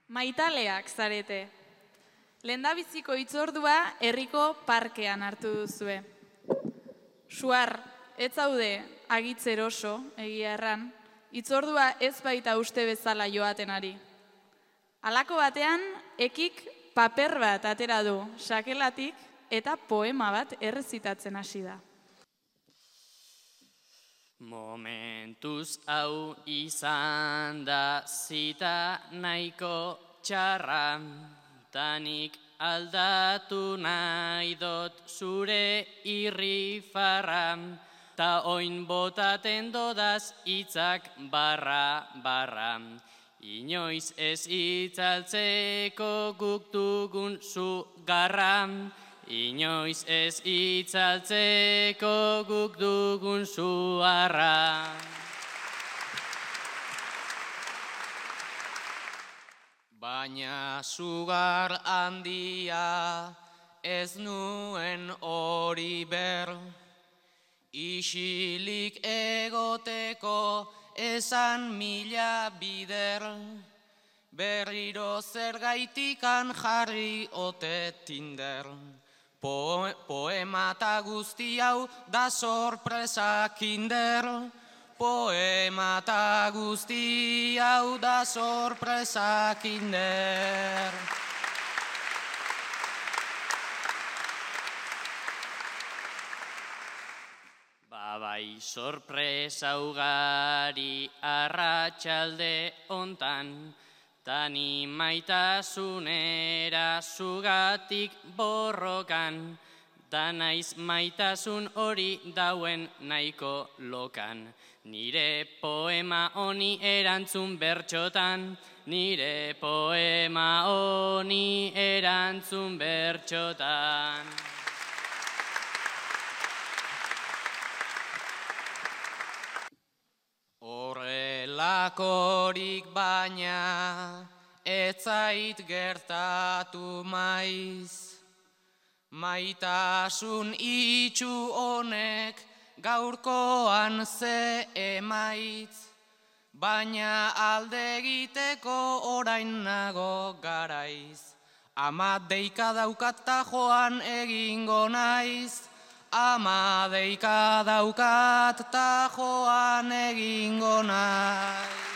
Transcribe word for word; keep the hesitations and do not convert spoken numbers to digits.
Maitaleak zarete. Lehendabiziko hitzordua herriko parkean hartu duzue. Suar, ez zaude agitzer oso, egia erran, hitzordua ez baita uste bezala joaten ari. Halako batean, ekik paper bat atera du sakelatik eta poema bat errezitatzen hasi da. Momentuz hau izan da zita nahiko txarra, tanik aldatu nahi dot zure irrifarra, ta oin botaten dodaz hitzak barra barra. Inoiz ez itzaltzeko guk dugun zu garra, inoiz ez itzaltzeko guk dugun zu harra. Baina sugar handia ez nuen hori ber, isilik egoteko esan mila bider, berriro zergaitikan jarri ote Tinder. Po, poema eta guzti hau da sorpresa kinder, poema eta guzti hau da sorpresa kinder. Bai, sorpresa ugari arratsalde hontan, tani maitasunera zugatik borrokan, da naiz maitasun hori dauen nahiko lokan. Nire poema honi erantzun bertxotan, nire poema honi erantzun bertxotan. Horrelakorik baina ez zait gertatu maiz, maitasun itxu honek gaurkoan ze emaitz, baina alde egiteko orain nago garaiz. Ama deika daukat ta joan egingo naiz, ama deika daukat ta joan egingo naiz.